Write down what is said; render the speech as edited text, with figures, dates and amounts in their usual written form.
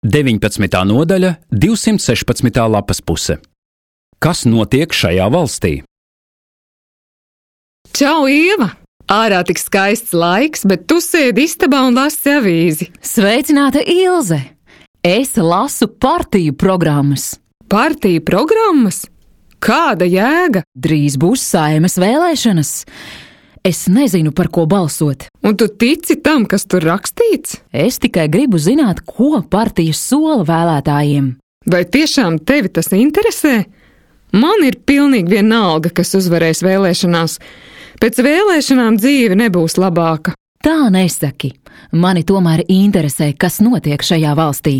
19. nodaļa, 216. lapas puse. Kas notiek šajā valstī? Čau, Ieva! Ārā tik skaists laiks, bet tu sēdi istabā un lasi avīzi. Sveicināta, Ilze! Es lasu partiju programmas. Partiju programmas? Kāda jēga? Drīz būs Saeimas vēlēšanas. Es nezinu, par ko balsot. Un tu tici tam, kas tur rakstīts? Es tikai gribu zināt, ko partijas sola vēlētājiem. Vai tiešām tevi tas interesē? Man ir pilnīgi vienalga, kas uzvarēs vēlēšanās. Pēc vēlēšanām dzīve nebūs labāka. Tā nesaki. Mani tomēr interesē, kas notiek šajā valstī.